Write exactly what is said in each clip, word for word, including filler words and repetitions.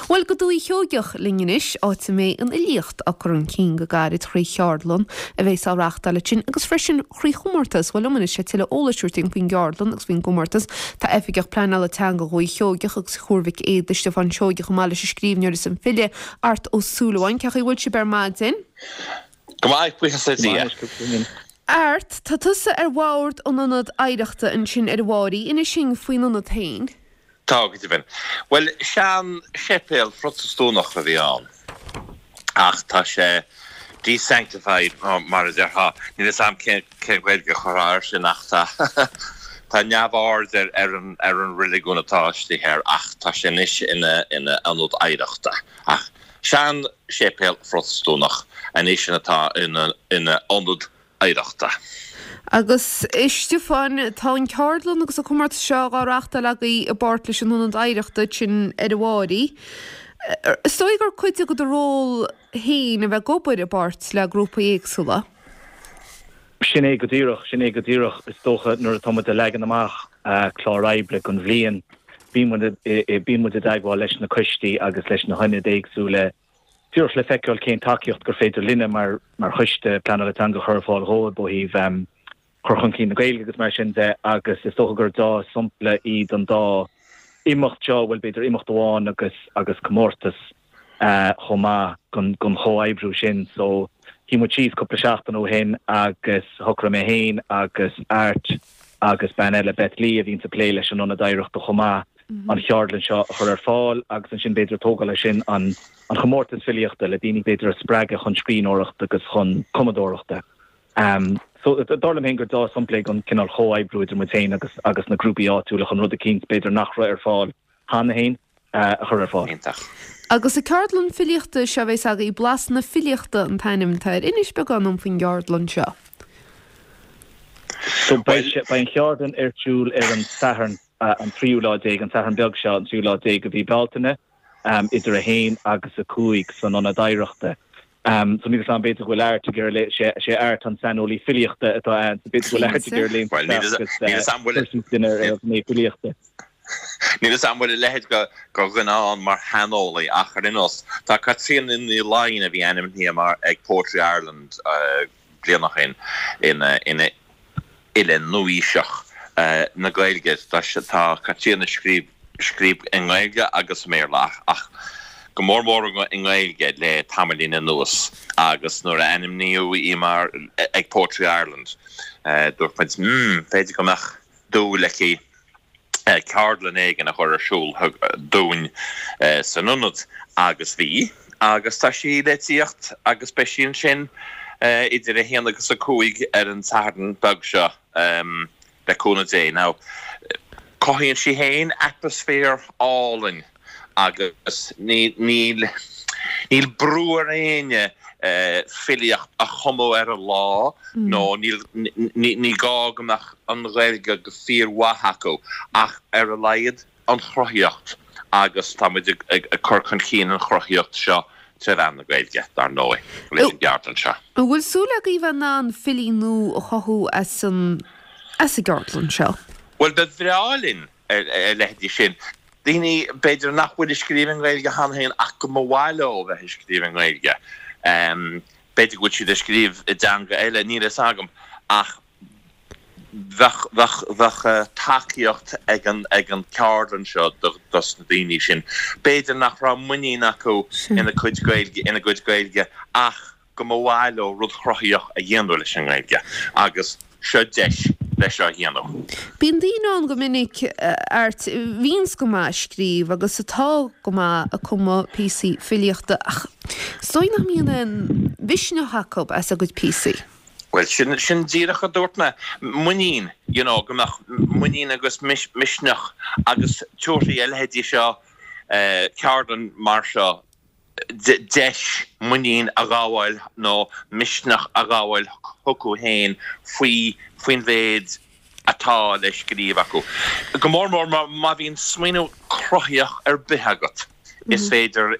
Bhuel go Dúiche Sheoigeach linn anois áit a mbeidh an fhilíocht á cur chun cinn go gairid trí cheardlann a bheas á reáchtáil ansin agus freisin trí chomórtas bhuel liom anois le tuilleadh eolais a thabhairt faoin gceardlann agus faoin gcomórtas tá oifigeach pleanála teanga Dhúiche Sheoigeach agus Thuar Mhic Éadaigh Stiofán Seoigeach chomh maith leis an scríbhneoir is an file Art Ó Súilleabháin cén chaoi a bhfuil sibh ar maidin. Go maith buíochas le Dia. Art tá tusa ar bhord an ionad oidhreachta ansin ar an bhFairche inis dúinn faoin ionad féin. Tá go deimhin. Well sean-séipéal Protastúnach a bhí ann ach tá sé desanctified mar a déarfá níl a fhios agam cén Ghaeilge a chur air sin ach tá tá neamhaird ar ar an ar an reiligiún atá istigh air ach tá sé anois ina ina ionad oidhreachta ach sean-séipéal Protastúnach anois atá ina ina ionad oidhreachta. Agus Stiofán tá an ceardlann agus an comórtas seo á reáchtáil agaibh i bpáirt leis an ionad oidhreachta sin ar an bhFairche. Is dóigh gur cuid de do ról féin a bheith ag obair i bpáirt le grúpaí éagsúla. Sin é go díreach sin é go díreach is dócha nuair atá muid ag leagan amach clár oibre don bhliain bíonn muid i dteagmháil leis na coistí agus leis na hionaid éagsúla Díreach le feiceáil cén tacaíocht gur féidir linne mar mar choiste pleanála teanga chur ar fáil dhóibh ó thaobh um, chur chun cinn na Gaeilge agus mar sin de agus is dócha gur dea-shampla iad an dá imeacht seo bhuel b'fhéidir imeacht amháin agus agus comórtas uh, chomh maith gon gon chomhoibriú sin so shuigh muid síos cúpla seachtain ó shin agus shocraigh mé féin agus Art agus bean eile Beth Lee a bhíonn ag plé leis an ionad oidhreachta chomh maith an cheardlann seo a chur ar fáil agus ansin b'fhéidir tógáil sin an an chomórtas filíochta le daoine b'fhéidir a spreagadh chun scríbhneoireachta agus chun cumadóireachta. Um, so dar liom féin gur dea-shampla an cineál comhoibriú idir muid féin agus agus na grúpaí áitiúla chun rud eicínt b'fhéidir nach raibh ar fáil cheana féin uh, a chur ar fáil. Iontach. Agus an ceardlann filíochta seo bheas agaibh Blas na Filíochta an t-ainm atá air inis beagán dom faoin gceardlann seo. So beidh an cheardlann ar siúl ar an Satharn uh, an tríú lá déag an Satharn beag seo an tríú lá déag de mhí Bealtaine um, idir a haon agus a cúig san ionad oidhreachta. Um, so ní an b'fhéidir bhfuil Art gur sé sé Art an saineolaí filíochta atá ann b'fhéidir bhfuil Art gur lé duine filíochta. Níl a fhios agam an bhfuil a leithéid de dhuine ann mar shaineolaí ach ar aon nós tá Caitríona Ní Laighin a bhí ainmnithe mar ag Poetry Ireland uh, bliain ó shin ina ina fhile nua-aoiseach uh, na Gaeilge tá tá Caitríona scríobh scríobh i nGaeilge agus Béarla ach go mór mór i nGaeilge le tamaillín anuas agus nuair a ainmníodh í mar ag Poetry Ireland uh, dúirt muid mm, b'fhéidir go mbeadh dúil aici uh, ceardlann éigin a chur ar siúl dúinn uh, san ionad agus bhí agus tá sí le tíocht agus beidh sí ansin uh, idir a haon agus a cúig ar an Satharn beag seo um, le cúnamh Dé. Now, cothaíonn sí féin atmaisféar álainn agus níl níl brú ar éinne uh, filíocht a chumadh ar an lá mm. nó ní gá go mbeadh an Ghaeilge go fíormhaith acu ach ar a laghad an chruthaíocht agus táimid ag, ag, ag cur chun cinn an chruthaíocht seo trí mheán na Gaeilge dar ndóigh leis an gceardlann seo. An bhfuil súil agaibh an an filí nua a chothú as an as an gceardlann seo? Well ba bhreá linn a leithéidí sin. Daoine b'fhéidir nach bhfuil ag scríobh i nGaeilge cheana féin ach go mba mhaith leo bheith ag scríobh i nGaeilge. Um, b'fhéidir go bhfuil siad ag scríobh i dteanga eile níl a fhios agam ach bheadh tacaíocht ag an ag an ceardlann seo dos na daoine sin. B'fhéidir nach raibh muinín acu ina cuid Gaeilge ina gcuid Gaeilge ach go mba mhaith leo rud cruthaitheach a dhéanamh leis an nGaeilge agus seo deis leis seo a dhéanamh. Bíonn daoine ann go minic Art bhíonns go maith ag scríobh agus atá go maith ag cumadh píosaí filíochta ach is dóigh nach mbíonn aon mhisneach acu as a gcuid píosaí. Well sin sin díreach a dúirt mé muinín you know, go mbeadh muinín agus misneach agus tuairí a leithéidí seo uh, ceardlann mar seo deis muinín a ghabháil nó misneach a ghabháil chucu féin faoi faoin mhéid atá le scríobh acu. Go mór mór má bhíonn smaoineamh cruthaitheach ar bith agat. Is féidir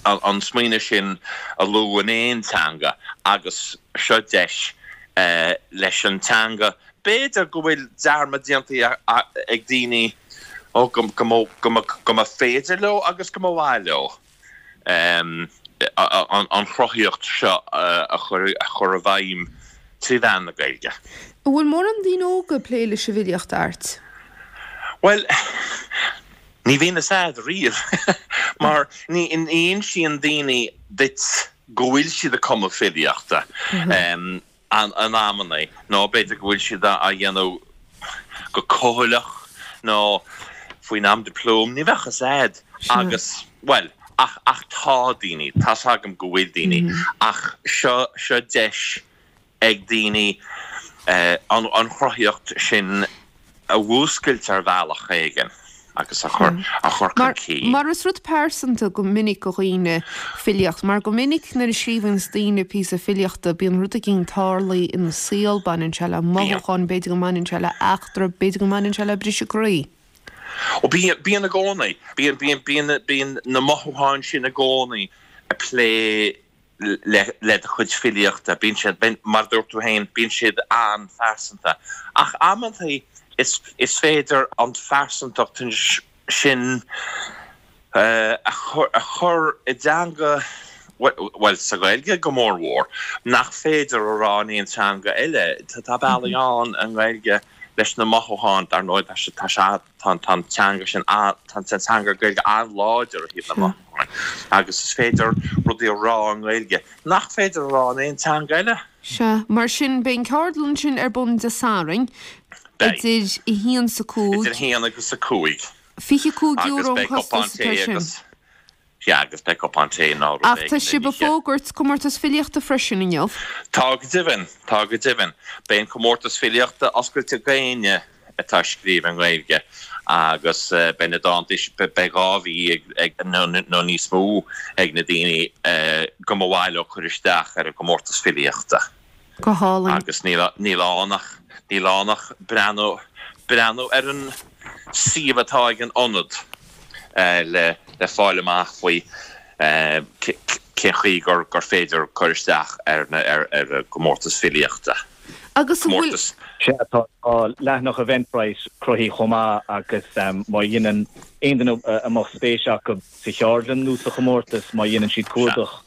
an smaoineamh sin a lua in aon teanga agus seo deis uh, leis an teanga. B'fhéidir go bhfuil dearmad déanta ag daoine Ó, go mba féidir leo agus go mba mhaith leo an chruthaíocht seo a chur i bhfeidhm trí mheán na Gaeilge. An bhfuil mórán daoine óga ag plé leis an bhfilíocht, Art? Bhuel, ní bhíonn fhios a'd riamh mar ní insíonn daoine duit go bhfuil siad ag cumadh filíochta in amannaí nó b'fhéidir go bhfuil siad á dhéanamh go cúthaileach nó faoin am dioplóim, ní bheadh fhios a'd agus, bhuel, ach, ach tá daoine, tá's agam go bhfuil daoine, ach seo, seo deis ag daoine an, an chruthaíocht sin a mhúscailt ar bhealach éigin agus a chur, a chur chun cinn. Mar is rud pearsanta go minic do dhaoine filíocht, mar go minic nuair a scríobhanns daoine píosa filíochta bíonn rud éigin tarlaithe ina saol, baineann sé le mothúcháin, b'fhéidir go mbaineann sé le eachtra, b'fhéidir go mbaineann sé le briseadh croí. Ó bíonn, bíonn i gcónaí. Bíonn, bíonn, bíonn, bíonn na mothúcháin sin i gcónaí ag plé le, le do chuid filíochta. Bíonn siad, mar a dúirt tú féin, bíonn siad an-phearsanta. Ach amantaí is, is féidir an phearsantacht sin a chur, a chur i dteanga, bhuel, sa Ghaeilge go mór mhór, nach féidir a rá in aon teanga eile. Tá bealaí ann i nGaeilge leis na mothúcháin, dar ndóigh, tá sé, tá sé, tá an teanga sin, tá an teanga Gaeilge an-láidir ó thaobh na mothúcháin agus is féidir rudaí a rá i nGaeilge nach féidir a rá in aon teanga eile. Sea, mar sin, beidh an ceardlann sin ar bun Dé Sathairn idir a haon 's a cúig. Idir a haon agus a cúig. Fiche cúig euro an costas atá air sin. Sea, agus beidh cupán tae nó rud Ach éigin tá sibh ag oíche. fógairt comórtas filíochta freisin inniu. Tá go deimhin, tá go deimhin. Beidh an comórtas filíochta oscailte d'éinne atá ag scríobh i nGaeilge agus beidh na dánta, beidh dhá mhí ag, nó níos mó ag na daoine go mba mhaith leo cur isteach ar an gcomórtas filíochta. Go hálainn. Agus níl níl ann ach níl ann ach breathnú breathnú ar an suíomh atá ag an Ionad le le fáil amach faoi cén chaoi gur gur féidir cur isteach ar na ar ar an gcomórtas filíochta. Agus an bhfuil. Comórtas. Sea, tá leathanach Eventbrite cruthaithe chomh maith agus má dhéanann aon duine a mbeadh spéis acu sa cheardlann nó sa chomórtas, má dhéanann siad cuardach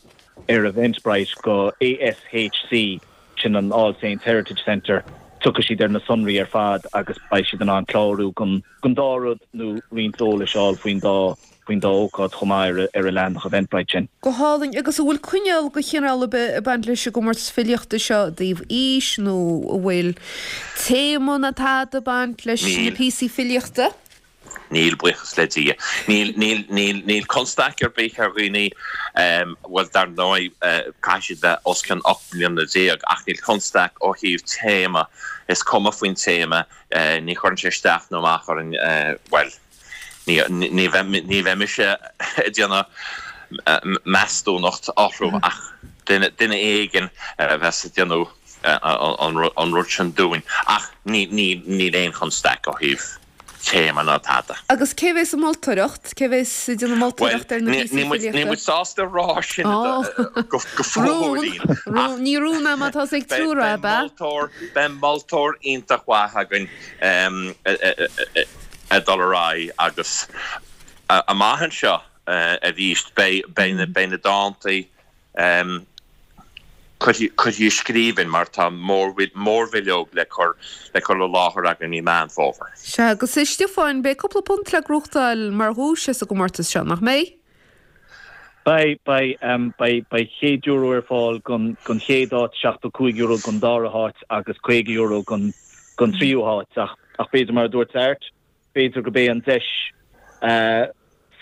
ar Eventbrite go ASHC, sin an All Saints Heritage Centre, tiocfaidh siad ar na sonraí ar fad agus beidh siad in ann clárú don dá rud nó roinnt eolais a fháil faoin dá faoin dá ócáid chomh maith ar an leathanach Eventbrite sin. Go hálainn. Agus an bhfuil coinníoll de chineál ar bith ag baint leis an gcomórtas filíochta seo i dtaobh aois nó an bhfuil téama ná tada ag baint leis na píosaí filíochta? Níl, buíochas le Dia. Níl, níl, níl, níl constaic ar bith ar dhaoine, bhuel, dar ndóigh, caithfidh siad bheith os cionn ocht mbliana déag, ach níl constaic ó thaobh téama, is cuma faoin téama, ní chuireann sé isteach nó amach orainn, bhuel, ní, ní bheidh, ní bheidh mise ag déanamh meastóireacht orthu ach duine, duine éigin a bheas ag déanamh an rud sin dúinn, ach ní, ní, níl aon chonstaic ó thaobh. téama ná tada. Agus cé bheas ag moltóireacht? Cé bheas ag déanamh moltóireacht ar na Bhuel, píosaí níl muid, níl filíochta? muid sásta a rá sin Ó, go, go rún, fóillín, rún, ach ní rún é má tá's ag beidh, triúr beidh ab ea? moltóir, beidh moltóir iontach mhaith againn ag dul ar aghaidh agus amach anseo arís beidh, beidh na, beidh na dántaí Curtha i scríbhinn mar tá mórbhileog le cur le cur i láthair againn i Meán Fómhair. Sea, agus a Stiofáin, beidh cúpla punt le gnóthachtáil mar dhuais sa gcomórtas seo, nach mbeidh? Beidh, beidh. Beidh, beidh céad euro ar fáil don don chéad áit, seachtó cúig euro don dara háit agus caoga euro don don tríú háit. Ach ach b'fhéidir mar a dúirt Art, b'fhéidir gurb é an deis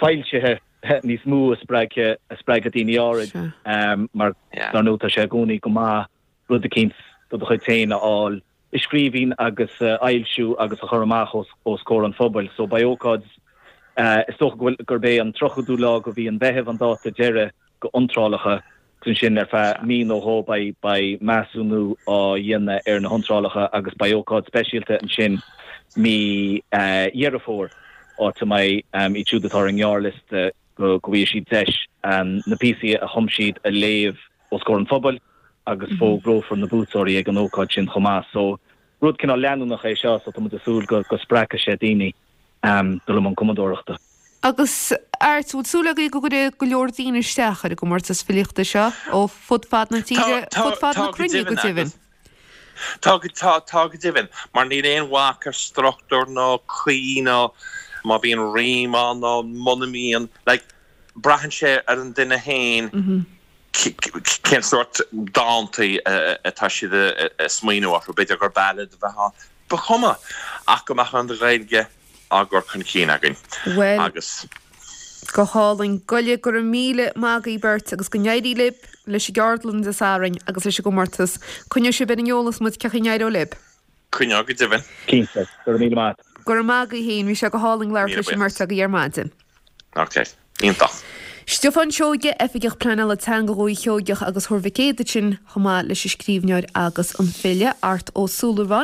foilsithe níos mó a spreagfaidh a spreagfaidh daoine áirid mar dar ndóigh tá sé i gcónaí go maith rud eicínt de do chuid féin a fháil i scríbhinn agus a fhoilsiú agus a chur amach os os comhair an phobail. So beidh ócáid is dócha go bhfuil gurb é an tríochadú lá de mhí an Mheithimh an dáta deiridh go iontrálacha agus ansin ar feadh mí nó dhó beidh beidh measúnú á dhéanamh ar na hiontrálacha agus beidh ócáid speisialta ansin mí Dheireadh Fómhair áit a mbeidh iad siúd atá ar an ngearrliosta go go bhfaighidh siad deis na píosaí a chum siad a léamh os comhair an phobail agus fógrófar na buaiteoirí ag an ócáid sin chomh maith. So rud cineál leanúnach é seo so tá muid ag súil go go spreagfaidh sé daoine. dul i mbun cumadóireachta. Agus Art, bhfuil súil agaibh go gcuirfidh go leor daoine isteach ar an gcomórtas filíochta seo ó fud fad na tíre, fud fad na cruinne go deimhin? Tá, tá, tá go deimhin, mar níl aon bhac ar struchtúr nó caoi nó má bhíonn rím ann nó muna mbíonn, like, braitheann sé ar an duine féin cén sórt dántaí atá siad ag smaoineamh orthu, b'fhéidir gur ballad a bheadh ann, ba chuma ach go mbeadh an Ghaeilge á gcur chun cinn againn. Bhuel, Agus. go hálainn. Go go raibh míle maith agaibh beirt agus go n-éirí libh leis an gceardlann Dé Sathairn agus leis an gcomórtas. Coinneoidh sibh ar an eolas muid cén chaoi a n-éireoidh libh. Coinneoidh go deimhin. Cinnte, go raibh míle maith. Go raibh maith agaibh féin, bhí sé go hálainn labhairt Míle leis an buíochas. mbeirt agaibh ar maidin. Ok, iontach. Stiofán Seoige, Oifigeach Pleanála Teanga Dhúiche Sheoigeach agus Thuar Mhic Éadaigh sin chomh maith leis an scríbhneoir agus an file Art Ó Súilleabháin.